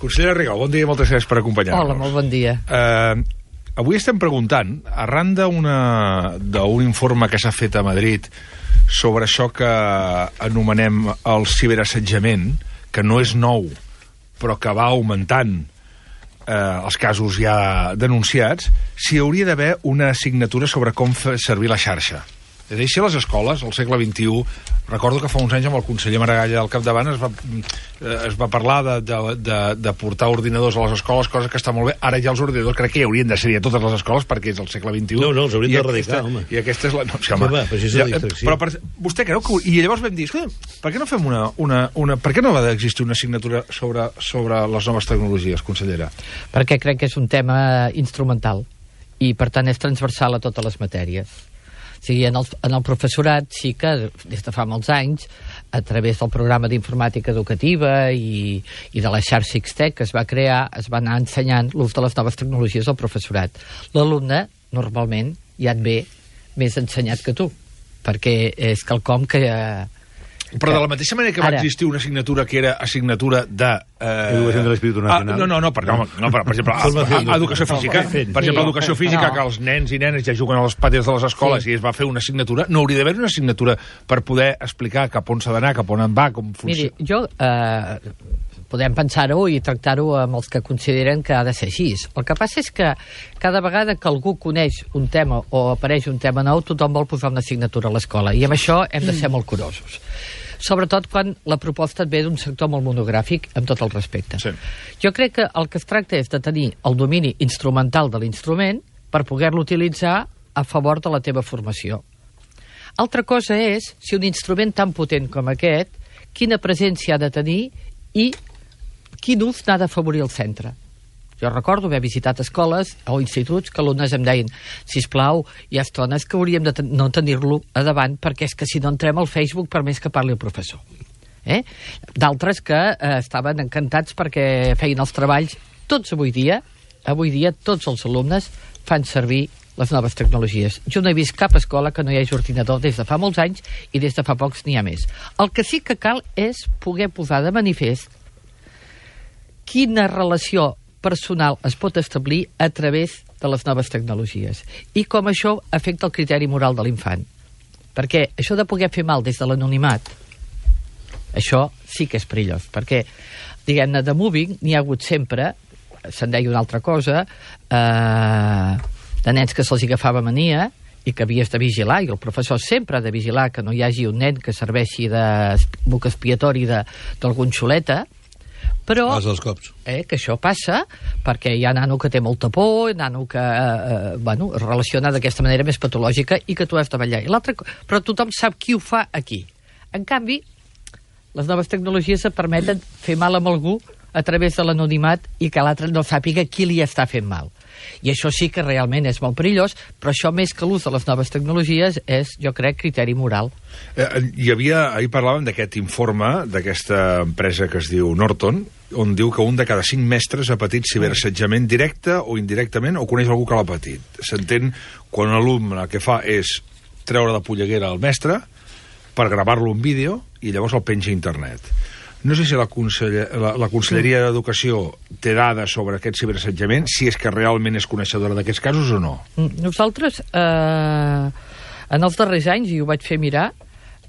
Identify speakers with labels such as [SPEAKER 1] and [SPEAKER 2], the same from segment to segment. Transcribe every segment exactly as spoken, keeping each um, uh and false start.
[SPEAKER 1] Consellera Rigau, bon dia i moltes gràcies per acompanyar-nos.
[SPEAKER 2] Hola, molt bon dia.
[SPEAKER 1] Uh, avui estem preguntant, arran d'un informe que s'ha fet a Madrid sobre això que anomenem el ciberassetjament, que no és nou, però que va augmentant eh, els casos ja denunciats, si hauria d'haver una assignatura sobre com fer servir la xarxa. És a dir, si a les escoles, al segle vint-i-u, recordo que fa uns anys amb el conseller Maragall al capdavant es va, es va parlar de, de, de, de portar ordinadors a les escoles, cosa que està molt bé. Ara ja els ordinadors crec que hi haurien de ser a totes les escoles perquè és el segle vint-i-u.
[SPEAKER 3] No, no, els haurien d'erradicar, home.
[SPEAKER 1] I aquesta és la... No, sí, home,
[SPEAKER 3] sí, va, però això és la distracció.
[SPEAKER 1] Però per, vostè creu que... I llavors vam dir, escolta, per què no fem una... una, una per què no va d'existir una assignatura sobre, sobre les noves tecnologies, consellera?
[SPEAKER 2] Perquè crec que és un tema instrumental i, per tant, és transversal a totes les matèries. O sigui, en el, en el professorat sí que, des de fa molts anys, a través del programa d'informàtica educativa i, i de la xarxa X-Tec que es va crear, es va anar ensenyant l'ús de les noves tecnologies al professorat. L'alumne, normalment, ja et ve més ensenyat que tu, perquè és quelcom que... Eh,
[SPEAKER 1] Però de la mateixa manera que va
[SPEAKER 2] Ara.
[SPEAKER 1] existir una assignatura que era assignatura de... Eh...
[SPEAKER 3] Educació de l'Espíritu Nacional.
[SPEAKER 1] Ah, no, no, no, per, no, no, per, per exemple, a, a, a educació física, per exemple,
[SPEAKER 2] Sí.
[SPEAKER 1] educació física,
[SPEAKER 2] No.
[SPEAKER 1] que els nens i nenes ja juguen a les pàties de les escoles
[SPEAKER 2] Sí.
[SPEAKER 1] i es va fer una assignatura, no hauria d'haver una assignatura per poder explicar cap on s'ha d'anar, cap on en va, com funciona...
[SPEAKER 2] Miri, jo... Eh, podem pensar-ho i tractar-ho amb els que consideren que ha de ser així. El que passa és que cada vegada que algú coneix un tema o apareix un tema nou, tothom vol posar una assignatura a l'escola, i amb això hem de ser molt curosos. Sobretot quan la proposta et ve d'un sector molt monogràfic, amb tot el respecte.
[SPEAKER 1] Sí.
[SPEAKER 2] Jo crec que el que es tracta és de tenir el domini instrumental de l'instrument per poder-lo utilitzar a favor de la teva formació. Altra cosa és, si un instrument tan potent com aquest, quina presència ha de tenir i quin ús n'ha d'afavorir el centre. Jo recordo haver visitat escoles o instituts que alumnes em deien, sisplau, hi ha estones que hauríem de ten no tenir-lo a davant perquè és que si no entrem al Facebook per més que parli el professor. Eh? D'altres que eh, estaven encantats perquè feien els treballs. Tots avui dia, avui dia tots els alumnes fan servir les noves tecnologies. Jo no he vist cap escola que no hi hagi ordinador des de fa molts anys i des de fa pocs n'hi ha més. El que sí que cal és poder posar de manifest quina relació personal es pot establir a través de les noves tecnologies i com això afecta el criteri moral de l'infant. Perquè això de poder fer mal des de l'anonimat, això sí que és perillós, perquè, diguem-ne, de mobbing n'hi ha hagut sempre, se'n deia una altra cosa, eh, de nens que se'ls agafava mania i que havies de vigilar, i el professor sempre ha de vigilar que no hi hagi un nen que serveixi de buc expiatori d'algun xuleta, però eh, que això passa perquè hi ha nano que té molta por, nano que eh, bueno, es relaciona d'aquesta manera més patològica i que tu has de vetllar. I l'altre, però tothom sap qui ho fa aquí. En canvi, les noves tecnologies et permeten fer mal amb algú a través de l'anonimat i que l'altre no sàpiga qui li està fent mal. I això sí que realment és molt perillós, però això més que l'ús de les noves tecnologies és, jo crec, criteri moral.
[SPEAKER 1] Eh, hi havia, ahir parlàvem d'aquest informe d'aquesta empresa que es diu Norton, on diu que un de cada cinc mestres ha patit ciberassetjament directe o indirectament o coneix algú que l'ha patit. S'entén quan un alumne el que fa és treure de polleguera al mestre per gravar-lo en vídeo i llavors el penja a internet. No sé si la, conseller, la, la Conselleria d'Educació té dades sobre aquest ciberassetjament, si és que realment és coneixedora d'aquests casos o no.
[SPEAKER 2] Nosaltres, eh, en els darrers anys, i ho vaig fer mirar,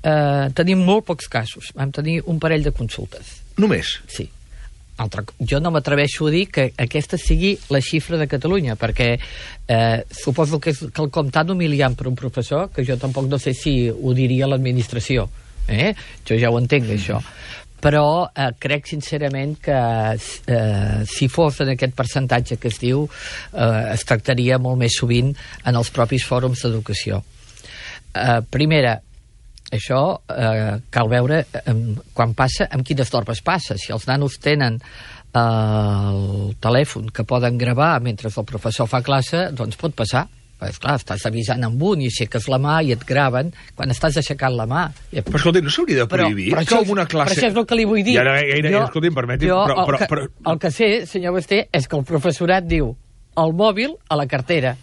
[SPEAKER 2] eh, tenim molt pocs casos. Vam tenir un parell de consultes.
[SPEAKER 1] Només?
[SPEAKER 2] Sí. Altra, jo no m'atreveixo a dir que aquesta sigui la xifra de Catalunya, perquè eh, suposo que és quelcom tan humiliant per un professor que jo tampoc no sé si ho diria l'administració. Eh? Jo ja ho entenc, mm. això. Però eh, crec sincerament que eh, si fos en aquest percentatge que es diu, eh, es tractaria molt més sovint en els propis fòrums d'educació. Eh, primera, això eh, cal veure eh, quan passa, amb quines normes passa. Si els nanos tenen eh, el telèfon que poden gravar mentre el professor fa classe, doncs pot passar. És clar, estàs avisant amb un i aixeques la mà i et graven quan estàs aixecant la mà.
[SPEAKER 1] Però escolti, no s'hauria de prohibir
[SPEAKER 2] però, però
[SPEAKER 1] que alguna classe...
[SPEAKER 2] Però això és el que li vull dir.
[SPEAKER 1] I ara, gaire, jo, escolti, em permeti...
[SPEAKER 2] Jo,
[SPEAKER 1] però, però,
[SPEAKER 2] el, que,
[SPEAKER 1] però...
[SPEAKER 2] el que sé, senyor Basté, és que el professorat diu el mòbil a la cartera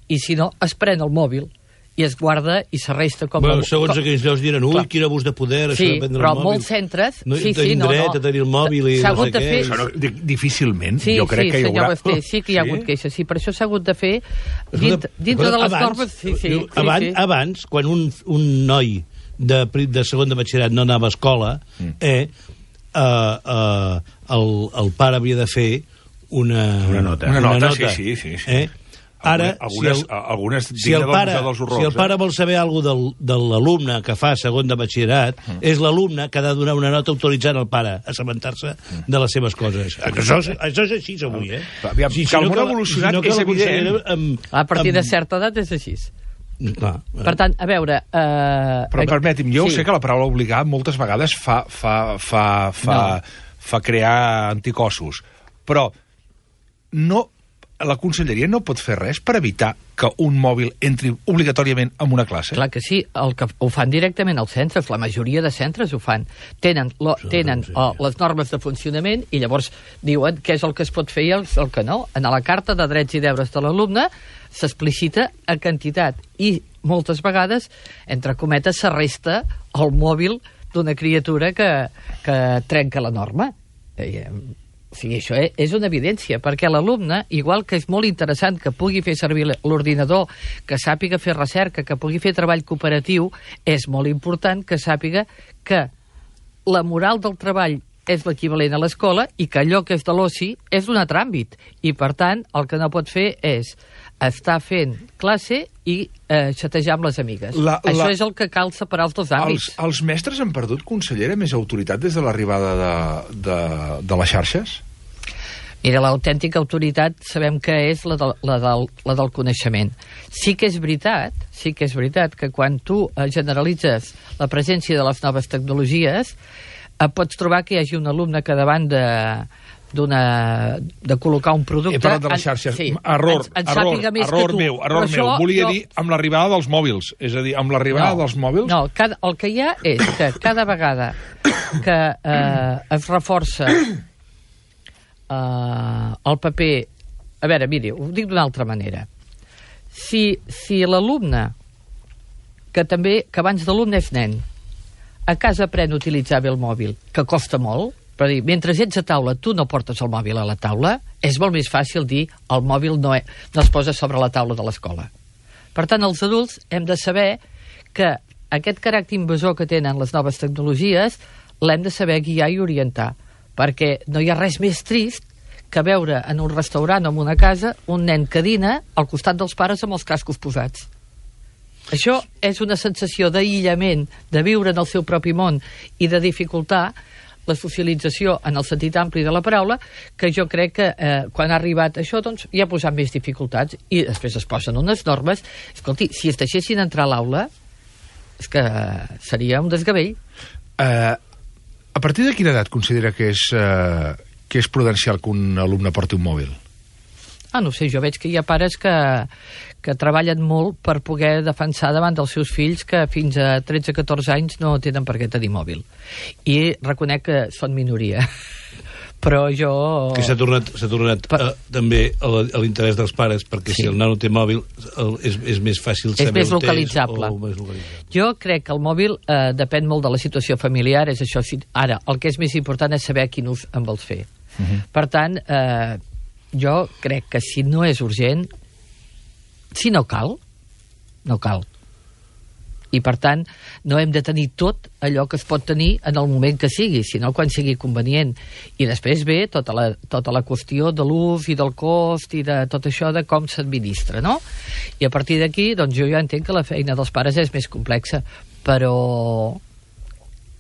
[SPEAKER 2] i si no, es pren el mòbil i es guarda i s'arresta com...
[SPEAKER 3] Bueno,
[SPEAKER 2] el...
[SPEAKER 3] segons
[SPEAKER 2] com...
[SPEAKER 3] aquells llocs diran, ui,
[SPEAKER 2] Clar.
[SPEAKER 3] quin abús de poder,
[SPEAKER 2] sí,
[SPEAKER 3] això de prendre
[SPEAKER 2] però
[SPEAKER 3] el mòbil.
[SPEAKER 2] molts centres...
[SPEAKER 3] No,
[SPEAKER 2] sí, sí,
[SPEAKER 3] tenim
[SPEAKER 2] no,
[SPEAKER 3] dret
[SPEAKER 2] no.
[SPEAKER 3] a tenir el mòbil i
[SPEAKER 2] S'ha
[SPEAKER 3] no
[SPEAKER 2] hagut
[SPEAKER 3] sé
[SPEAKER 2] de
[SPEAKER 3] què.
[SPEAKER 2] fer-
[SPEAKER 1] Això no, di- difícilment,
[SPEAKER 2] Sí,
[SPEAKER 1] jo crec
[SPEAKER 2] sí,
[SPEAKER 1] que hi
[SPEAKER 2] senyor
[SPEAKER 1] haurà...
[SPEAKER 2] Basté, sí que hi ha
[SPEAKER 1] Sí?
[SPEAKER 2] hagut queixes, sí, per això s'ha hagut de fer dintre, dintre de les
[SPEAKER 3] abans,
[SPEAKER 2] normes... Sí, sí,
[SPEAKER 3] diu,
[SPEAKER 2] sí,
[SPEAKER 3] abans,
[SPEAKER 2] sí.
[SPEAKER 3] abans, quan un, un noi de, pri- de segon de batxillerat no anava a escola, mm. eh, eh, eh, el, el pare havia de fer una,
[SPEAKER 4] Una nota.
[SPEAKER 1] Una nota, sí, sí, sí, sí.
[SPEAKER 3] Eh? Ara,
[SPEAKER 1] algunes,
[SPEAKER 3] si el,
[SPEAKER 1] algunes
[SPEAKER 3] si el, pare,
[SPEAKER 1] dels horrors,
[SPEAKER 3] si el pare
[SPEAKER 1] eh?
[SPEAKER 3] vol saber alguna cosa del, de l'alumne que fa segon de batxillerat, mm. és l'alumne que ha de donar una nota autoritzant al pare a assabentar-se mm. de les seves coses. Això, això és així avui, eh?
[SPEAKER 1] Aviam, que el món ha evolucionat és evident.
[SPEAKER 3] Amb,
[SPEAKER 2] A partir de
[SPEAKER 3] amb-
[SPEAKER 2] certa edat és així.
[SPEAKER 3] Clar,
[SPEAKER 2] Per tant, a veure... Eh,
[SPEAKER 1] Però permeti'm, jo
[SPEAKER 2] sí.
[SPEAKER 1] sé que la paraula obligar moltes vegades fa, fa, fa, fa,
[SPEAKER 2] No.
[SPEAKER 1] fa crear anticossos, però no, la conselleria no pot fer res per evitar que un mòbil entri obligatòriament en una classe?
[SPEAKER 2] Clar que sí, el que ho fan directament als centres, la majoria de centres ho fan. Tenen, lo, tenen
[SPEAKER 3] sí.
[SPEAKER 2] oh, les normes de funcionament i llavors diuen què és el que es pot fer i el, el que no. En la carta de drets i deures de l'alumne s'explicita a quantitat i moltes vegades, entre cometes, s'arresta el mòbil d'una criatura que, que trenca la norma. Eh, O sigui, això és una evidència, perquè l'alumne, igual que és molt interessant que pugui fer servir l'ordinador, que sàpiga fer recerca, que pugui fer treball cooperatiu, és molt important que sàpiga que la moral del treball és l'equivalent a l'escola i que allò que és de l'oci és d'un altre àmbit. I, per tant, el que no pot fer és estar fent classe i eh, xatejar amb les amigues.
[SPEAKER 1] La-
[SPEAKER 2] Això
[SPEAKER 1] la-
[SPEAKER 2] és el que cal separar els dos
[SPEAKER 1] Els,
[SPEAKER 2] àmbits.
[SPEAKER 1] els mestres han perdut, consellera, més autoritat des de l'arribada de, de, de les xarxes?
[SPEAKER 2] Mira, l'autèntica autoritat sabem que és la, del, la, del, la del coneixement. Sí que és veritat, sí que és veritat que quan tu eh, generalitzes la presència de les noves tecnologies, eh, pots trobar que hi hagi un alumne que davant de d'una de col·locar un producte...
[SPEAKER 1] He parlat de les
[SPEAKER 2] en-
[SPEAKER 1] xarxes.
[SPEAKER 2] sí,
[SPEAKER 1] error,
[SPEAKER 2] en, en
[SPEAKER 1] error,
[SPEAKER 2] sàpiga més
[SPEAKER 1] error
[SPEAKER 2] que tu.
[SPEAKER 1] meu, error
[SPEAKER 2] Però
[SPEAKER 1] meu.
[SPEAKER 2] això
[SPEAKER 1] Volia
[SPEAKER 2] jo-
[SPEAKER 1] dir amb l'arribada dels mòbils. És a dir, amb l'arribada dels mòbils...
[SPEAKER 2] No, cada, el que hi ha és que cada vegada que eh, es reforça eh, el paper... A veure, miri, ho dic d'una altra manera. Si, si l'alumne, que també, que abans d'alumne és nen, a casa aprèn a utilitzar bé el mòbil, que costa molt, per dir, mentre ets a taula tu no portes el mòbil a la taula, és molt més fàcil dir el mòbil no, e, no es posa sobre la taula de l'escola. Per tant, els adults hem de saber que aquest caràcter invasor que tenen les noves tecnologies l'hem de saber guiar i orientar, perquè no hi ha res més trist que veure en un restaurant o en una casa un nen que dina al costat dels pares amb els cascos posats. Això és una sensació d'aïllament, de viure en el seu propi món i de dificultar la socialització en el sentit ampli de la paraula, que jo crec que eh, quan ha arribat això doncs hi ha posat més dificultats i després es posen unes normes. Escolti, si es deixessin entrar a l'aula és que seria un desgavell.
[SPEAKER 1] Eh, a partir de quina edat considera que és, eh, que és prudencial que un alumne porti un mòbil?
[SPEAKER 2] Ah, no sé, jo veig que hi ha pares que, que treballen molt per poder defensar davant dels seus fills que fins a tretze a catorze anys no tenen per què tenir mòbil. I reconec que són minoria. Però jo...
[SPEAKER 3] Que s'ha tornat, s'ha tornat
[SPEAKER 2] Per-
[SPEAKER 3] eh, també a la- a l'interès dels pares, perquè
[SPEAKER 2] Sí.
[SPEAKER 3] si el nano té mòbil el, és, és més fàcil
[SPEAKER 2] És
[SPEAKER 3] saber
[SPEAKER 2] més
[SPEAKER 3] on és
[SPEAKER 2] localitzable.
[SPEAKER 3] o més localitzable.
[SPEAKER 2] Jo crec que el mòbil eh, depèn molt de la situació familiar, és això. Si, ara, el que és més important és saber quin ús en vols fer. Uh -huh. Per tant, eh, jo crec que si no és urgent, si no cal, no cal. I, per tant, no hem de tenir tot allò que es pot tenir en el moment que sigui, sinó quan sigui convenient. I després ve tota la, tota la qüestió de l'ús i del cost i de tot això de com s'administra, no? I a partir d'aquí, doncs jo ja entenc que la feina dels pares és més complexa, però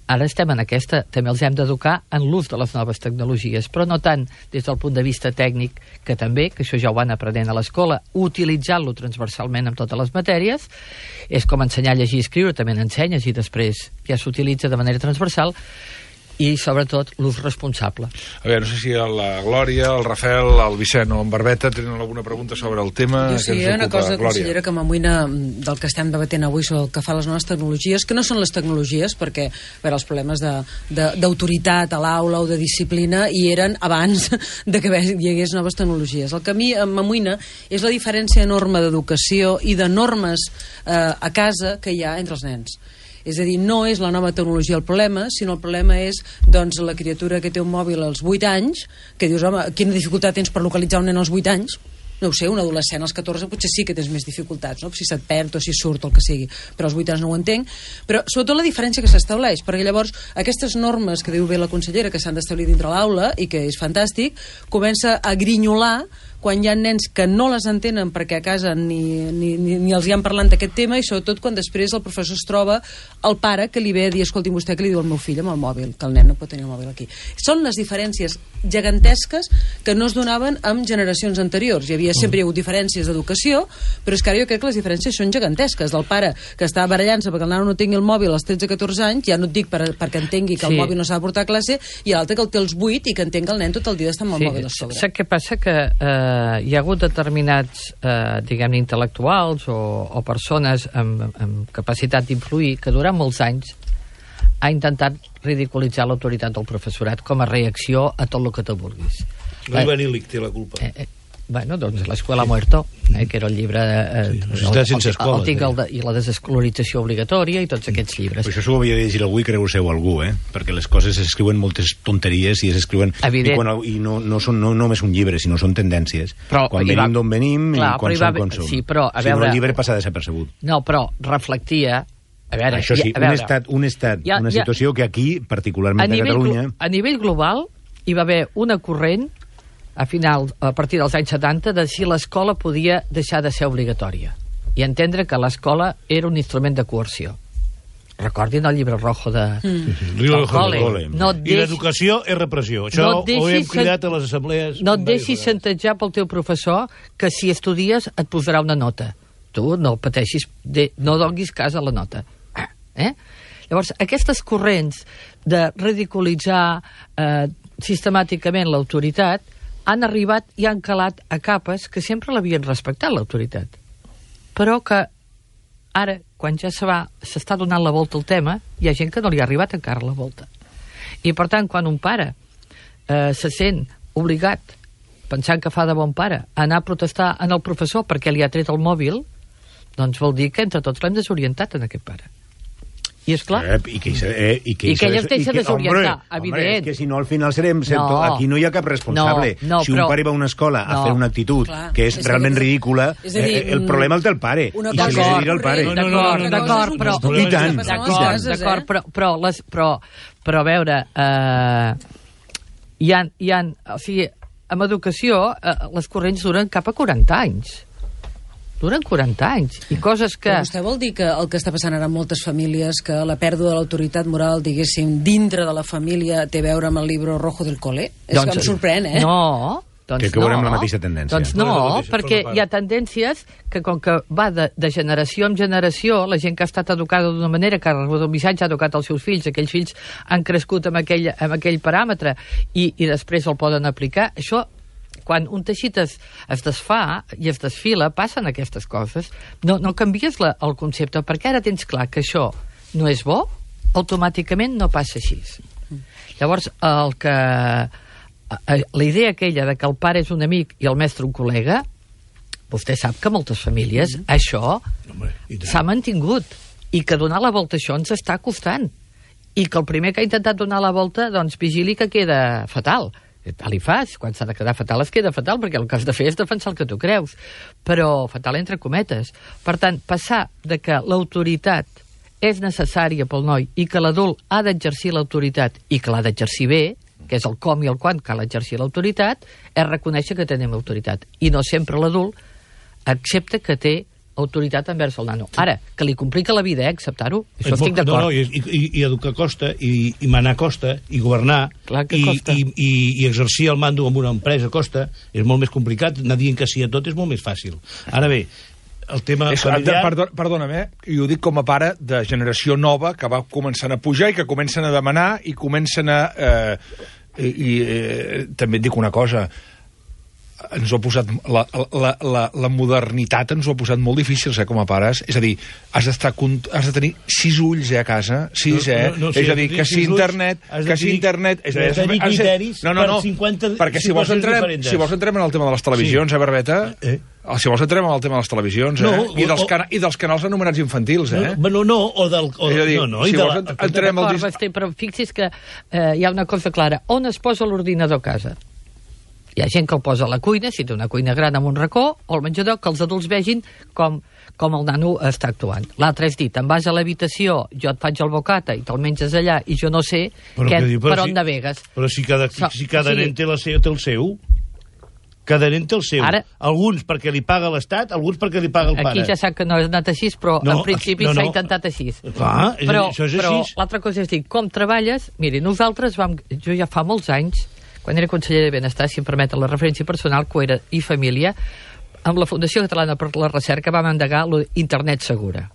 [SPEAKER 2] ara estem en aquesta, també els hem d'educar en l'ús de les noves tecnologies, però no tant des del punt de vista tècnic, que també, que això ja ho van aprenent a l'escola, utilitzant-lo transversalment en totes les matèries, és com ensenyar a llegir i escriure, també n'ensenyes i després ja s'utilitza de manera transversal, i, sobretot, l'ús responsable.
[SPEAKER 1] A veure, no sé si la Glòria, el Rafael, el Vicent o en Barbeta tenen alguna pregunta sobre el tema.
[SPEAKER 4] Jo sí, hi ha una cosa, consellera, que m'amoïna del que estem debatent avui sobre el que fa les noves tecnologies, que no són les tecnologies, perquè a veure, els problemes d'autoritat a l'aula o de disciplina hi eren abans de que hi hagués noves tecnologies. El que a mi m'amoïna és la diferència enorme d'educació i de normes eh, a casa que hi ha entre els nens. És a dir, no és la nova tecnologia el problema, sinó el problema és doncs, la criatura que té un mòbil als vuit anys, que dius, home, quina dificultat tens per localitzar un nen als vuit anys? No ho sé, un adolescent als catorze potser sí que tens més dificultats, no? Si se't perd o si surt o el que sigui, però als vuit anys no ho entenc. Però sobretot la diferència que s'estableix, perquè llavors aquestes normes que diu bé la consellera que s'han d'establir dintre l'aula i que és fantàstic, comença a grinyolar quan hi ha nens que no les entenen perquè a casa ni, ni, ni, ni els hi han parlat d'aquest tema, i sobretot quan després el professor es troba el pare que li ve a dir, escolti, vostè que li diu al meu fill amb el mòbil, que el nen no pot tenir el mòbil aquí. Són les diferències gegantesques que no es donaven amb generacions anteriors. Hi havia sempre hi ha hagut diferències d'educació, però és que ara jo crec que les diferències són gegantesques. Del pare que està barallant-se perquè el nano no tingui el mòbil als tretze catorze anys, ja no et dic per, perquè entengui que el
[SPEAKER 2] sí.
[SPEAKER 4] mòbil no s'ha de portar a classe, i l'altre que el té als vuit i que entén que el nen tot el dia està amb el
[SPEAKER 2] sí.
[SPEAKER 4] mòbil a sobre.
[SPEAKER 2] Saps què passa? Que eh, hi ha hagut determinats, eh, diguem-ne, intel·lectuals o, o persones amb, amb capacitat d'influir que durant molts anys ha intentat ridiculitzar l'autoritat del professorat com a reacció a tot el que tu vulguis.
[SPEAKER 3] Ivan Illich té la culpa.
[SPEAKER 2] Eh, eh, bueno, doncs l'Escuela Muerto, eh, que era el llibre eh,
[SPEAKER 3] sí, Societat sense escola,
[SPEAKER 2] el, el, el, el, i la desescolarització obligatòria i tots aquests llibres.
[SPEAKER 5] Però això s'ho havia de llegir algú i creure-ho algú, eh? Perquè les coses s'escriuen moltes tonteries i s'escriuen i, quan, i no, no són no només un llibre, sinó són tendències. Però, quan venim d'on venim clar, i quan som com som.
[SPEAKER 2] Sí, però, a veure,
[SPEAKER 5] si no, el llibre passa desapercebut.
[SPEAKER 2] No, però reflectia... A veure,
[SPEAKER 5] això sí,
[SPEAKER 2] a veure,
[SPEAKER 5] un estat, un estat
[SPEAKER 2] ja,
[SPEAKER 5] una situació ja, que aquí, particularment a, a Catalunya...
[SPEAKER 2] A nivell global hi va haver una corrent a final, a partir dels anys setanta, de si l'escola podia deixar de ser obligatòria i entendre que l'escola era un instrument de coerció. Recordin el llibre rojo de... Mm.
[SPEAKER 3] Del Cole.
[SPEAKER 2] No
[SPEAKER 3] I l'educació és repressió. Això
[SPEAKER 2] no
[SPEAKER 3] ho hem cridat a les assemblees...
[SPEAKER 2] No et deixis xantatjar pel teu professor que si estudies et posarà una nota. Tu no pateixis, de, no donguis cas a la nota. Eh? Llavors, aquestes corrents de ridiculitzar eh, sistemàticament l'autoritat han arribat i han calat a capes que sempre l'havien respectat, l'autoritat. Però que ara, quan ja se va, s'està donant la volta al tema, hi ha gent que no li ha arribat encara la volta. I, per tant, quan un pare eh, se sent obligat, pensant que fa de bon pare, a anar a protestar en el professor perquè li ha tret el mòbil, doncs vol dir que entre tots l'hem desorientat en aquest pare. I és clar.
[SPEAKER 5] Eh, I que, eh, i que,
[SPEAKER 2] I que ell es deixa desorientar,
[SPEAKER 5] home,
[SPEAKER 2] evident.
[SPEAKER 5] Home, és que si no al final serem... No, aquí no hi ha cap responsable.
[SPEAKER 2] No, no,
[SPEAKER 5] si un
[SPEAKER 2] però,
[SPEAKER 5] pare va a una escola no, a fer una actitud clar, que és, és realment que, ridícula, és dir, eh, el problema el té el pare. I se li ha de dir al pare.
[SPEAKER 2] D'acord, d'acord, però...
[SPEAKER 5] I tant,
[SPEAKER 2] d'acord, d'acord, però, però, les, però, però a veure, eh, hi ha, hi ha, o sigui, amb educació eh, les corrents duren cap a quaranta anys. Duren quaranta anys, i coses que...
[SPEAKER 4] Però vostè vol dir que el que està passant ara en moltes famílies, que la pèrdua de l'autoritat moral, diguéssim, dintre de la família té a veure amb el llibre rojo del cole? És doncs, que em sorprèn, eh?
[SPEAKER 2] No, doncs
[SPEAKER 5] que, que
[SPEAKER 2] no.
[SPEAKER 5] veurem la mateixa tendència.
[SPEAKER 2] Doncs no, no perquè hi ha tendències que com que va de, de generació en generació, la gent que ha estat educada d'una manera, que ha rebut un missatge, ha educat els seus fills, aquells fills han crescut amb aquell, amb aquell paràmetre i, i després el poden aplicar, això... Quan un teixit es, es desfà i es desfila, passen aquestes coses. No, no canvies la, el concepte, perquè ara tens clar que això no és bo, automàticament no passa així. Llavors, el que... la idea aquella de que el pare és un amic i el mestre un col·lega, vostè sap que moltes famílies mm. això s'ha mantingut i que donar la volta a això ens està costant. I que el primer que ha intentat donar la volta, doncs vigili que queda fatal. Tal i fas, quan s'ha de quedar fatal es queda fatal, perquè el que has de fer és defensar el que tu creus, però fatal entre cometes. Per tant, passar de que l'autoritat és necessària pel noi i que l'adult ha d'exercir l'autoritat i que l'ha d'exercir bé, que és el com i el quan cal exercir l'autoritat, és reconèixer que tenim autoritat. I no sempre l'adult accepta que té autoritat envers el nano. Ara, que li complica la vida, eh, acceptar-ho, això estic d'acord.
[SPEAKER 3] No, no, i, i, i educar costa, i, i manar costa, i governar, i, i, i, i exercir el mando en una empresa costa, és molt més complicat, anar dient que sí a tot és molt més fàcil. Ara bé, el tema és, familiar...
[SPEAKER 1] Perdona, perdona'm, eh? I ho dic com a pare de generació nova que va començant a pujar i que comencen a demanar i comencen a... Eh, i i eh, també et dic una cosa, ens ho ha posat la, la, la, la modernitat ens ho ha posat molt difícil, eh, com a pares. És a dir, has d'estar has de tenir sis ulls, eh, a casa, sis, eh? No, no, no, és a dir, que si internet... Que si internet...
[SPEAKER 3] Has de tenir criteris
[SPEAKER 1] no, no, no,
[SPEAKER 3] per cinquanta
[SPEAKER 1] perquè si vols, entrem, si vols entrem en el tema de les televisions, sí. eh, Barbeta? Eh? Si vols entrem en el tema de les televisions, eh? No, I, dels cana I dels canals anomenats infantils, eh?
[SPEAKER 3] No, no, no o del... O,
[SPEAKER 1] és a dir,
[SPEAKER 3] no, no,
[SPEAKER 1] si
[SPEAKER 3] de
[SPEAKER 1] vols,
[SPEAKER 3] la,
[SPEAKER 1] entrem al...
[SPEAKER 2] Basté, però fixi's que eh, hi ha una cosa clara. On es posa l'ordinador a casa? Hi ha gent que el posa a la cuina, si té una cuina gran amb un racó, o al menjador, que els adults vegin com, com el nano està actuant. L'altre és dit, em vas a l'habitació, jo et faig el bocata i te'l menges allà, i jo no sé però que, que, per si, on navegues.
[SPEAKER 3] Però si cada, so, si cada o sigui, nen té, la seu, té el seu... Cada nen té el seu. Ara, alguns perquè li paga l'Estat, alguns perquè li paga el
[SPEAKER 2] aquí
[SPEAKER 3] pare.
[SPEAKER 2] Aquí ja sap que no ha anat així, però no, en principi s'ha no, no. intentat així.
[SPEAKER 3] Clar, és
[SPEAKER 2] però,
[SPEAKER 3] això és
[SPEAKER 2] però
[SPEAKER 3] així.
[SPEAKER 2] L'altra cosa és dir, com treballes... Miri, nosaltres vam... Jo ja fa molts anys, quan era conseller de Benestar, si em permeten la referència personal, que era i família, amb la Fundació Catalana per la Recerca vam endegar l'Internet Segura,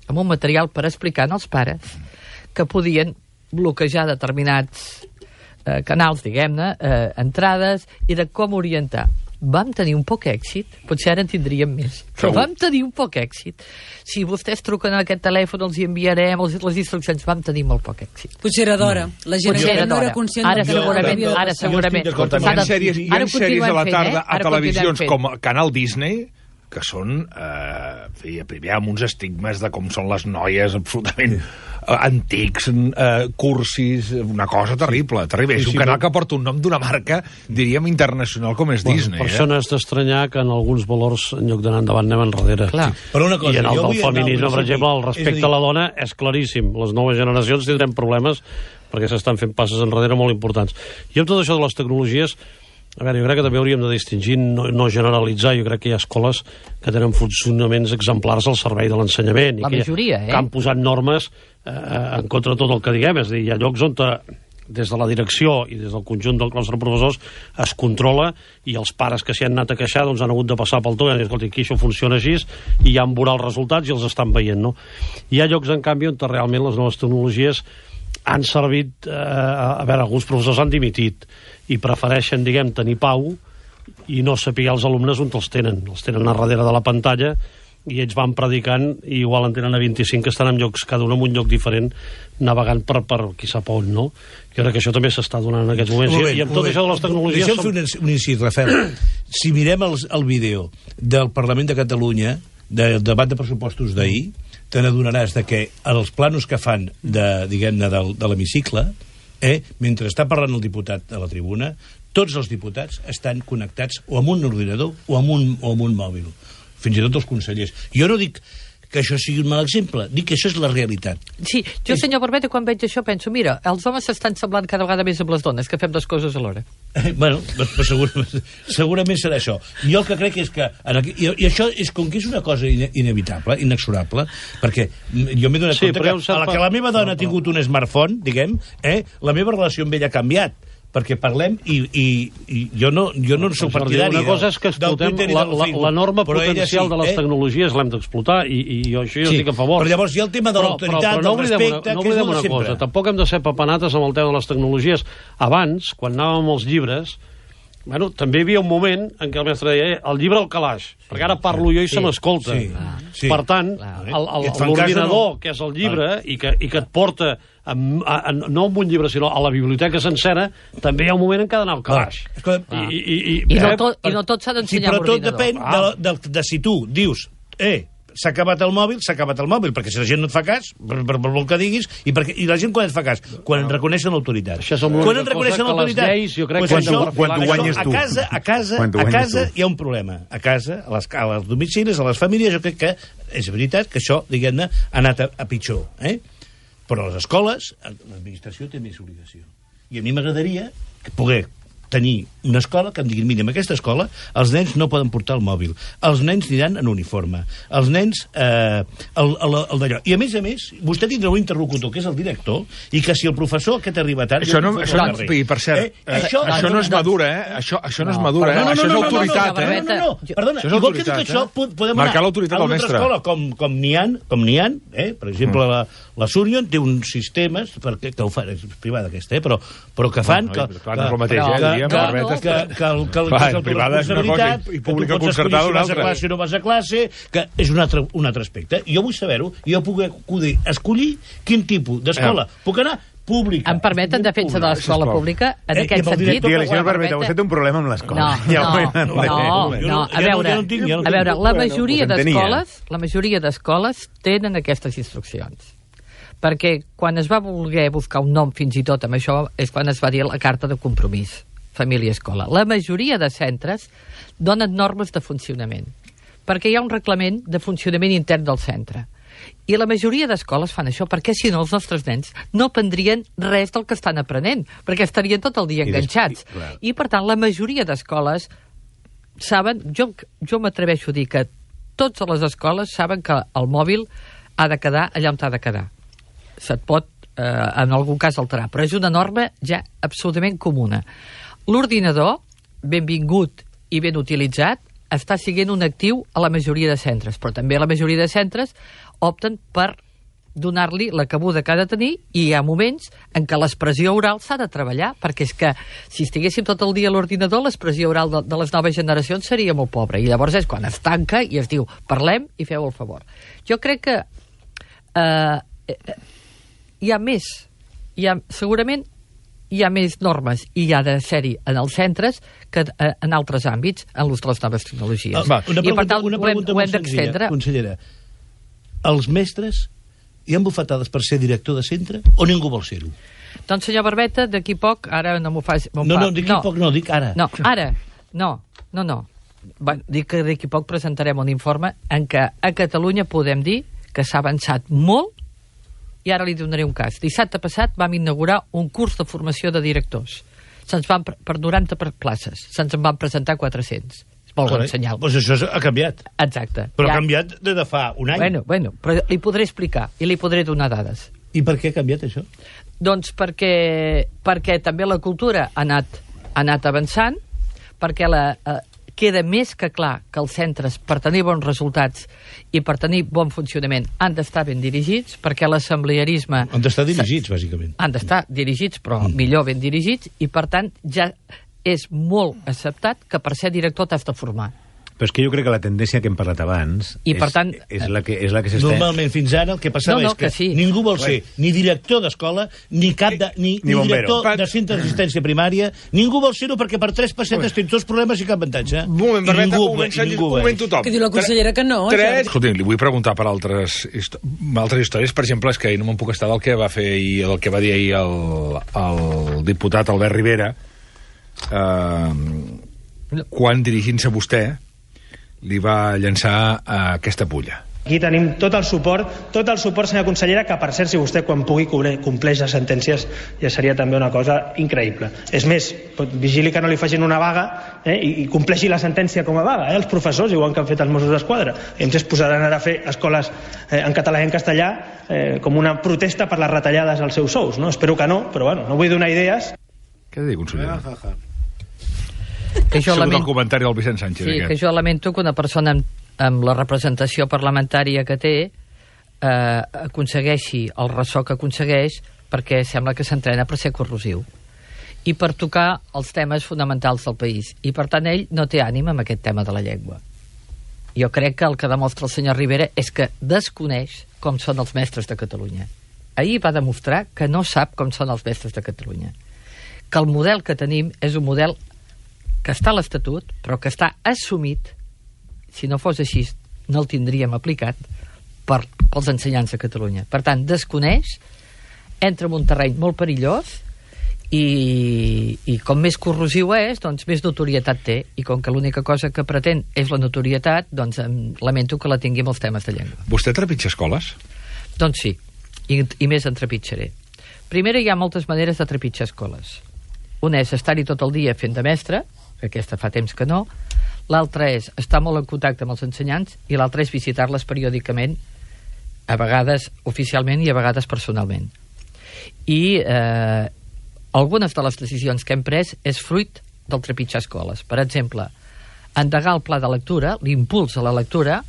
[SPEAKER 2] amb un material per explicar als pares que podien bloquejar determinats eh, canals, diguem-ne, eh, entrades, i de com orientar. Vam tenir un poc èxit, potser ara en tindríem més, però vam tenir un poc èxit. Si vostès truquen a aquest telèfon, els hi enviarem els, les instruccions, vam tenir molt poc èxit.
[SPEAKER 4] Potser era d'hora. La gent
[SPEAKER 2] era
[SPEAKER 4] no era conscient
[SPEAKER 2] ara
[SPEAKER 4] de
[SPEAKER 2] segurament, ara, ara segurament.
[SPEAKER 1] Hi ha sèries, hi ha sèries a la tarda a televisions com Canal Disney que són, eh, primer amb uns estigmes de com són les noies absolutament antics, eh, cursis, una cosa terrible, terrible. Sí, sí, és un canal però... que porta un nom d'una marca, diríem, internacional com és bueno, Disney.
[SPEAKER 6] Per això eh? n'has d'estranyar que en alguns valors, en lloc d'anar endavant, anem enrere.
[SPEAKER 2] Clar.
[SPEAKER 6] Sí. Però una cosa, I en el del feminisme, per exemple, el respecte a, a la dona és claríssim. Les noves generacions tindrem problemes perquè s'estan fent passes enrere molt importants. I amb tot això de les tecnologies, a veure, jo crec que també hauríem de distingir, no, no generalitzar. Jo crec que hi ha escoles que tenen funcionaments exemplars al servei de l'ensenyament.
[SPEAKER 2] La majoria, eh?
[SPEAKER 6] Que han posat normes eh, en contra de tot el que diguem. És a dir, hi ha llocs on te, des de la direcció i des del conjunt dels nostres professors es controla, i els pares que s'hi han anat a queixar doncs han hagut de passar pel tot i han dit, escolta, aquí això funciona així, i ja han veurà els resultats i els estan veient, no? Hi ha llocs, en canvi, on realment les noves tecnologies han servit, eh, a veure, alguns professors han dimitit i prefereixen, diguem, tenir pau i no saber els alumnes on els tenen. Els tenen a darrere de la pantalla i ells van predicant i igual en tenen a vint-i-cinc que estan en llocs, cada un en un lloc diferent, navegant per, per qui sap on, no? Jo crec que això també s'està donant en aquests moments. Moment, I, i amb tot moment. Això de les tecnologies...
[SPEAKER 3] Deixa'm som... fer un, un incís, Rafael. Si mirem el, el vídeo del Parlament de Catalunya, del debat de pressupostos d'ahir, te n'adonaràs de que els planos que fan de, diguem-ne, de, de l'hemicicle, eh, mentre està parlant el diputat a la tribuna, tots els diputats estan connectats o amb un ordinador o amb un, o amb un mòbil. Fins i tot els consellers. Jo no dic que això sigui un mal exemple, dic que això és la realitat.
[SPEAKER 2] Sí, jo, senyor Barbeta, quan veig això penso, mira, els homes s'estan semblant cada vegada més amb les dones, que fem dues coses alhora.
[SPEAKER 3] Eh, bueno, segurament, segurament serà això. Jo el que crec és que... Aquí, i, I això és com que és una cosa ine, inevitable, inexorable, perquè jo m'he donat sí, compte que a la que la meva dona no, ha tingut un smartphone, diguem, eh, la meva relació amb ella ha canviat, perquè parlem i, i, i jo no, jo no soc partidari.
[SPEAKER 6] Una cosa és que explotem l'enorme potencial sí, de les eh? tecnologies, l'hem d'explotar, i, i jo això jo sí, estic a favor.
[SPEAKER 3] Però llavors hi ha el tema de l'autoritat,
[SPEAKER 6] no
[SPEAKER 3] del respecte,
[SPEAKER 6] no
[SPEAKER 3] que és el
[SPEAKER 6] una
[SPEAKER 3] de sempre.
[SPEAKER 6] Cosa, tampoc hem de ser papanates amb el tema de les tecnologies. Abans, quan anàvem als llibres, bueno, també hi havia un moment en què el mestre deia eh, el llibre al calaix, sí, perquè ara parlo jo i sí, se m'escolta. Sí, sí. Per tant, l'ordinador, no. que és el llibre, ah. i, que, i que et porta a, a, a, no amb un llibre, sinó a la biblioteca sencera, també hi ha un moment en què ha d'anar al calaix.
[SPEAKER 3] Ah.
[SPEAKER 2] I, i, i, I, no tot, i no tot s'ha d'ensenyar
[SPEAKER 3] sí, però tot depèn ah. de, de, de, de si tu dius, eh, s'ha acabat el mòbil, s'ha acabat el mòbil, perquè si la gent no et fa cas, per, per, per el que diguis, i, perquè, i la gent quan et fa cas? Quan no. reconeixen l'autoritat. Quan et reconeixen l'autoritat?
[SPEAKER 6] Pues
[SPEAKER 3] això, quan t'ho guanyes tu. A casa, a casa, a casa hi ha un problema. A casa, a les, als domicilis, a les famílies, jo crec que és veritat que això, diguem-ne, ha anat a, a pitjor. Eh? Però a les escoles, l'administració té més obligació. I a mi m'agradaria poder tenir una escola que em diguin, mira, en aquesta escola els nens no poden portar el mòbil, els nens aniran en uniforme, els nens eh, el, el, el d'allò. I a més a més, vostè tindrà un interlocutor que és el director, i que si el professor aquest arriba tard...
[SPEAKER 1] Això no, això no, i per cert, eh, eh, això, això no és madura, eh? Això, això no és madura, eh? Això és autoritat, eh?
[SPEAKER 3] No, no, no, perdona, igual que dic això, podem anar a una altra escola, com, com n'hi ha, com n'hi ha, eh? Per exemple, la, la Surion té uns sistemes, perquè, que ho fan, és privada aquesta, eh? però, però que fan...
[SPEAKER 1] Bueno, que, clar, no és el mateix, eh? Diríem, que, que,
[SPEAKER 3] que, que, el, que, clar, que és el
[SPEAKER 1] privada és una cosa i, i pública concertada una altra.
[SPEAKER 3] Si vas a classe o no vas a classe, que és un altre, un altre aspecte. Jo vull saber-ho, jo puc escollir quin tipus d'escola eh. puc anar pública.
[SPEAKER 2] Em permet, en defensa de l'escola pública, en eh, aquest sentit...
[SPEAKER 5] Digue-li, senyor Barbeta, vostè té un problema amb l'escola.
[SPEAKER 2] No, ja no, no, no, no, a veure, a veure, la majoria d'escoles, la majoria d'escoles tenen aquestes instruccions. Perquè quan es va voler buscar un nom fins i tot amb això és quan es va dir la carta de compromís família-escola. La majoria de centres donen normes de funcionament, perquè hi ha un reglament de funcionament intern del centre. I la majoria d'escoles fan això, perquè si no els nostres nens no aprendrien res del que estan aprenent, perquè estarien tot el dia enganxats. I, per tant, la majoria d'escoles saben, jo, jo m'atreveixo a dir que totes les escoles saben que el mòbil ha de quedar allà on ha de quedar. Se't pot, eh, en algun cas, alterar, però és una norma ja absolutament comuna. L'ordinador, benvingut i ben utilitzat, està siguent un actiu a la majoria de centres, però també la majoria de centres opten per donar-li la cabuda que ha de tenir, i hi ha moments en què l'expressió oral s'ha de treballar, perquè és que si estiguéssim tot el dia a l'ordinador, l'expressió oral de, de les noves generacions seria molt pobra, i llavors és quan es tanca i es diu parlem i feu el favor. Jo crec que eh, hi ha més, hi ha, segurament hi ha més normes i hi ha de ser-hi en els centres que en altres àmbits en l'ús de les noves tecnologies.
[SPEAKER 3] Ah, una pregunta, I per tant una pregunta ho hem, ho hem d'extendre. Consellera, els mestres hi han bufetades per ser director de centre o ningú vol ser-ho?
[SPEAKER 2] Doncs, senyor Barbeta, d'aquí poc, ara no m'ho faci...
[SPEAKER 3] No, no, d'aquí no. poc no, dic ara.
[SPEAKER 2] No, ara, no, no, no. Va, dic que d'aquí poc presentarem un informe en què a Catalunya podem dir que s'ha avançat molt. I ara li donaré un cas. Dissabte passat vam inaugurar un curs de formació de directors. Se'ns van, per noranta places, se'ns en van presentar quatre-cents. És molt bon senyal.
[SPEAKER 3] Doncs això ha canviat.
[SPEAKER 2] Exacte.
[SPEAKER 3] Però ja... ha canviat des de fa un any.
[SPEAKER 2] Bueno, bueno, però li podré explicar i li podré donar dades.
[SPEAKER 3] I per què ha canviat això?
[SPEAKER 2] Doncs perquè, perquè també la cultura ha anat, ha anat avançant, perquè la... Eh, queda més que clar que els centres, per tenir bons resultats i per tenir bon funcionament, han d'estar ben dirigits, perquè l'assemblearisme...
[SPEAKER 3] Han d'estar dirigits, bàsicament.
[SPEAKER 2] Han d'estar dirigits, però mm. millor ben dirigits, i per tant ja és molt acceptat que per ser director t'has de formar.
[SPEAKER 5] Però és que jo crec que la tendència que hem parlat abans
[SPEAKER 2] I
[SPEAKER 5] és,
[SPEAKER 2] per tant,
[SPEAKER 5] és la que, és la que s'està...
[SPEAKER 3] Normalment, fins ara, el que passava
[SPEAKER 2] no, no,
[SPEAKER 3] és que,
[SPEAKER 2] que sí.
[SPEAKER 3] ningú vol ser ni director d'escola, ni cap de, ni, ni, ni director de centre d'assistència primària, ningú vol ser-ho perquè per tres pessetes tens tots problemes i cap avantatge.
[SPEAKER 1] Un moment, Barbeta, ningú, un moment, ningú un moment tothom.
[SPEAKER 4] Que diu la consellera que no.
[SPEAKER 1] Tres... Escolti, li vull preguntar per altres, altres històries. Per exemple, és que no me'n puc estar del que va fer i el que va dir ahir el, el diputat Albert Rivera, eh, quan dirigint-se vostè li va llançar uh, aquesta pulla.
[SPEAKER 7] Aquí tenim tot el suport, tot el suport, senyora consellera, que per cert, si vostè quan pugui compleix les sentències ja seria també una cosa increïble. És més, vigili que no li facin una vaga eh, i, i compleixi la sentència com a vaga, eh, els professors, igual que han fet els Mossos d'Esquadra. I ens es posaran ara a fer escoles eh, en català i en castellà eh, com una protesta per les retallades als seus sous. No? Espero que no, però bueno, no vull donar idees.
[SPEAKER 1] Què ha de dir, consellera?
[SPEAKER 3] Ja, ja, ja.
[SPEAKER 2] Que jo
[SPEAKER 1] lamento... el comentari del Vicent Sánchez.
[SPEAKER 2] Sí,
[SPEAKER 1] aquest.
[SPEAKER 2] que jo lamento que una persona amb, amb la representació parlamentària que té eh, aconsegueixi el ressò que aconsegueix, perquè sembla que s'entrena per ser corrosiu i per tocar els temes fonamentals del país. I per tant ell no té ànim amb aquest tema de la llengua. Jo crec que el que demostra el senyor Rivera és que desconeix com són els mestres de Catalunya. Ahir va demostrar que no sap com són els mestres de Catalunya. Que el model que tenim és un model que està a l'Estatut, però que està assumit, si no fos així, no el tindríem aplicat, per, pels ensenyants de Catalunya. Per tant, desconeix, entra en un terreny molt perillós i, i com més corrosiu és, doncs més notorietat té. I com que l'única cosa que pretén és la notorietat, doncs em lamento que la tingui amb els temes de llengua.
[SPEAKER 1] Vostè trepitja escoles?
[SPEAKER 2] Doncs sí, i, i més en trepitjaré. Primera, hi ha moltes maneres de trepitjar escoles. Una és estar-hi tot el dia fent de mestre, aquesta fa temps que no. L'altra és estar molt en contacte amb els ensenyants i l'altra és visitar-les periòdicament, a vegades oficialment i a vegades personalment. I eh, algunes de les decisions que hem pres és fruit del trepitjar escoles. Per exemple, endegar el pla de lectura, l'impuls a la lectura,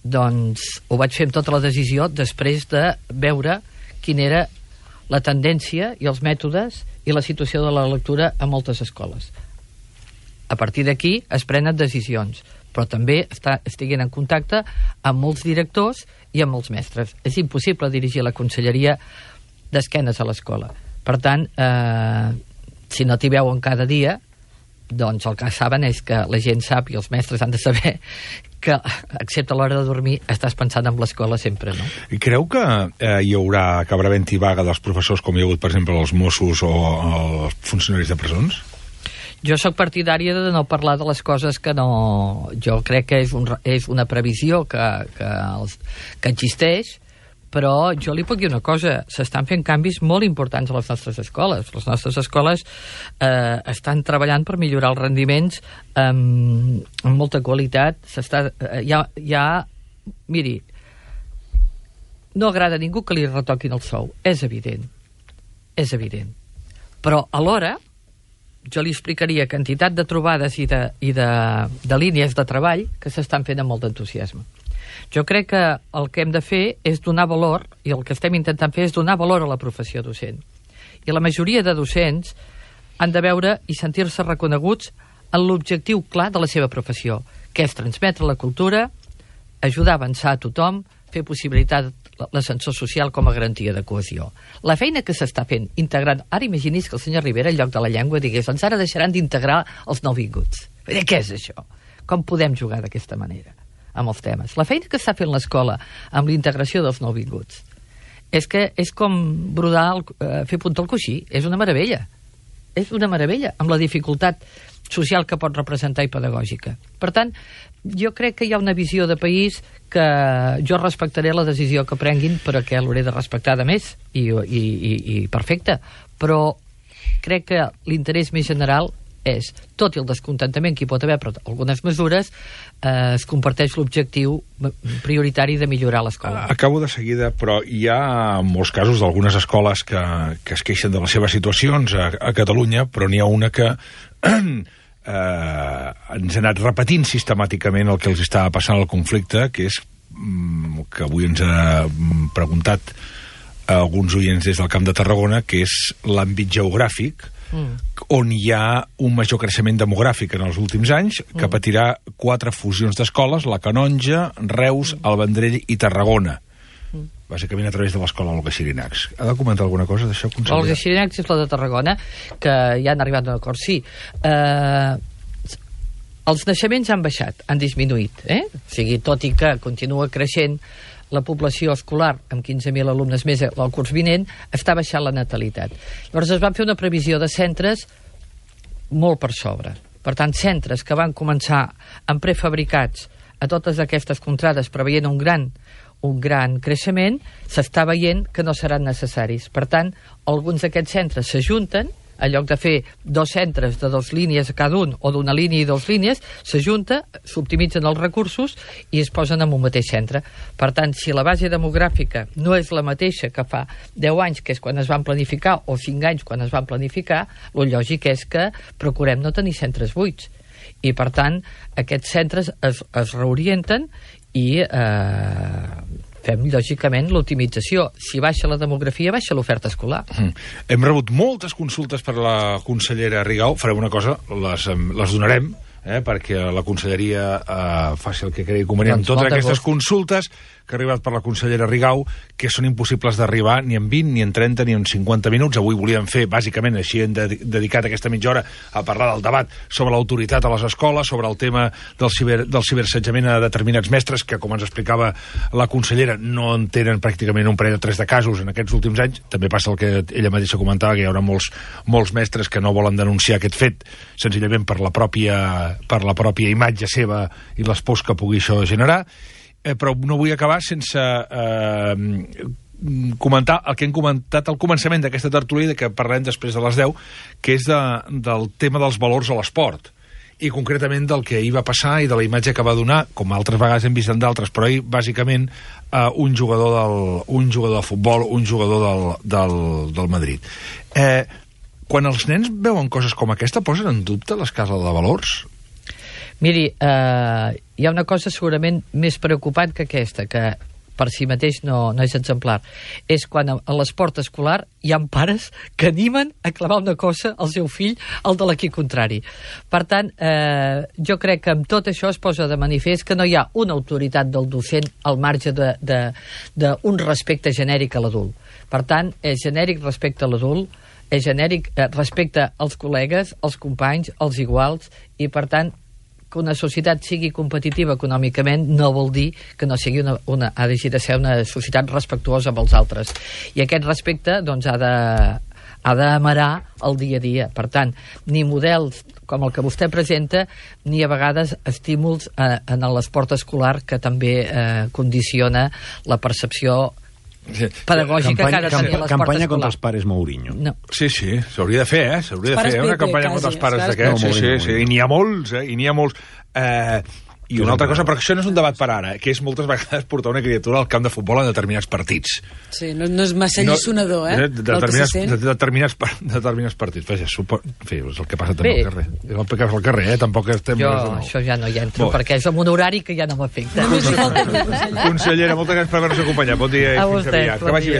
[SPEAKER 2] doncs ho vaig fer amb tota la decisió després de veure quina era la tendència i els mètodes i la situació de la lectura a moltes escoles. A partir d'aquí es prenen decisions, però també està, estiguin en contacte amb molts directors i amb molts mestres. És impossible dirigir la conselleria d'esquenes a l'escola. Per tant, eh, si no t'hi veuen cada dia, doncs el que saben és que la gent sap i els mestres han de saber que, excepte a l'hora de dormir, estàs pensant en l'escola sempre, no?
[SPEAKER 1] I creu que eh, hi haurà, acabarà havent-hi vaga dels professors, com hi ha hagut, per exemple, els Mossos o els funcionaris de presons?
[SPEAKER 2] Jo sóc partidària de no parlar de les coses que no... Jo crec que és, un, és una previsió que, que, els, que existeix, però jo li puc dir una cosa, s'estan fent canvis molt importants a les nostres escoles. Les nostres escoles eh, estan treballant per millorar els rendiments amb, amb molta qualitat. S'està, eh, hi ha, hi ha... Miri, no agrada a ningú que li retoquin el sou, és evident, és evident. Però alhora jo li explicaria quantitat de trobades i de, i de, de línies de treball que s'estan fent amb molt d'entusiasme. Jo crec que el que hem de fer és donar valor, i el que estem intentant fer és donar valor a la professió docent. I la majoria de docents han de veure i sentir-se reconeguts en l'objectiu clar de la seva professió, que és transmetre la cultura, ajudar a avançar a tothom, fer possibilitat l'ascensor social com a garantia de cohesió. La feina que s'està fent integrant... Ara imagini's que el senyor Rivera, en lloc de la llengua, digués doncs ara deixaran d'integrar els nouvinguts. Què és això? Com podem jugar d'aquesta manera amb els temes? La feina que està fent l'escola amb la integració dels nouvinguts és que és com brodar, el, eh, fer punta al coixí. És una meravella. És una meravella, amb la dificultat social que pot representar i pedagògica. Per tant, jo crec que hi ha una visió de país que jo respectaré la decisió que prenguin, però que l'hauré de respectar de més, i, i, i, i perfecte. Però crec que l'interès més general és, tot i el descontentament que hi pot haver per algunes mesures, eh, es comparteix l'objectiu prioritari de millorar l'escola.
[SPEAKER 1] Acabo de seguida, però hi ha molts casos d'algunes escoles que, que es queixen de les seves situacions a, a Catalunya, però n'hi ha una que eh, ens ha anat repetint sistemàticament el que els estava passant al conflicte, que és mm, que avui ens ha preguntat a alguns oients des del Camp de Tarragona, que és l'àmbit geogràfic, Mm. on hi ha un major creixement demogràfic en els últims anys, que mm. patirà quatre fusions d'escoles, la Canonja, Reus, mm. el Vendrell i Tarragona, mm. bàsicament a través de l'escola Olga Xirinacs. Ha de comentar alguna cosa d'això, conseller?
[SPEAKER 2] Olga Xirinacs és la de Tarragona, que ja han arribat a un acord. Sí, eh, els naixements han baixat, han disminuït, eh? O sigui, tot i que continua creixent la població escolar, amb quinze mil alumnes més el curs vinent, està baixant la natalitat. Llavors es van fer una previsió de centres molt per sobre. Per tant, centres que van començar amb prefabricats a totes aquestes contrades preveient un gran, un gran creixement, s'està veient que no seran necessaris. Per tant, alguns d'aquests centres s'ajunten, en lloc de fer dos centres de dues línies a cada un, o d'una línia i dues línies, s'ajunta, s'optimitzen els recursos i es posen en un mateix centre. Per tant, si la base demogràfica no és la mateixa que fa deu anys, que és quan es van planificar, o cinc anys quan es van planificar, el lògic és que procurem no tenir centres buits. I, per tant, aquests centres es, es reorienten i eh, fem, lògicament, l'optimització. Si baixa la demografia, baixa l'oferta escolar.
[SPEAKER 1] Mm. Hem rebut moltes consultes per la consellera Rigau. Farem una cosa, les, les donarem, eh, perquè la conselleria eh, faci el que cregui convenient amb totes aquestes consultes que ha arribat per la consellera Rigau, que són impossibles d'arribar ni en vint, ni en trenta, ni en cinquanta minuts. Avui volíem fer, bàsicament, així hem de, dedicat aquesta mitja hora a parlar del debat sobre l'autoritat a les escoles, sobre el tema del, ciber, del ciberassetjament a determinats mestres, que, com ens explicava la consellera, no en tenen pràcticament un parell o tres de casos en aquests últims anys. També passa el que ella mateixa comentava, que hi haurà molts, molts mestres que no volen denunciar aquest fet, senzillament per la pròpia, per la pròpia imatge seva i les pors que pugui això generar. Eh, però no vull acabar sense eh, comentar el que hem comentat al començament d'aquesta tertúlia, que parlem després de les deu, que és de, del tema dels valors a l'esport, i concretament del que ahir va passar i de la imatge que va donar, com altres vegades hem vist en d'altres, però ahir, bàsicament, uh, un, jugador del, un jugador de futbol, un jugador del, del, del Madrid. Eh, quan els nens veuen coses com aquesta, posen en dubte l'escala de valors?
[SPEAKER 2] Miri, eh, hi ha una cosa segurament més preocupant que aquesta, que per si mateix no, no és exemplar. És quan a, a l'esport escolar hi ha pares que animen a clavar una cosa al seu fill, al de l'equip contrari. Per tant, eh, jo crec que amb tot això es posa de manifest que no hi ha una autoritat del docent al marge d'un respecte genèric a l'adult. Per tant, és genèric respecte a l'adult, és genèric eh, respecte als col·legues, als companys, als iguals, i per tant, que una societat sigui competitiva econòmicament no vol dir que no sigui una, una, ha de ser una societat respectuosa amb els altres. I aquest respecte doncs, ha de, ha d'amarar el dia a dia. Per tant, ni models com el que vostè presenta, ni a vegades estímuls eh, en l'esport escolar, que també eh, condiciona la percepció pedagògica campanya, que ha de tenir l'esport
[SPEAKER 5] campanya
[SPEAKER 2] escolar.
[SPEAKER 5] Contra els pares Mourinho.
[SPEAKER 2] No.
[SPEAKER 1] Sí, sí, s'hauria de fer, eh? S'hauria de fer una campanya contra els pares d'aquests. Sí, sí, sí, i n'hi ha molts, eh? I n'hi ha molts. Eh, I una altra cosa, però això no és un debat per ara, que és moltes vegades portar una criatura al camp de futbol en determinats partits.
[SPEAKER 4] Sí, no, no és massa allisonador, eh?
[SPEAKER 1] De, de, determinats, de, determinats, determinats partits. Vaja, supo... en fi, és el que passa també al carrer. És el que passa al carrer, eh? Tampoc estem...
[SPEAKER 2] Jo això ja no hi entro, Bo. perquè és un horari que ja no m'afecta.
[SPEAKER 1] Consellera, moltes gràcies per haver-nos acompanyat. Bon dia i fins aviat. Que vagi bé.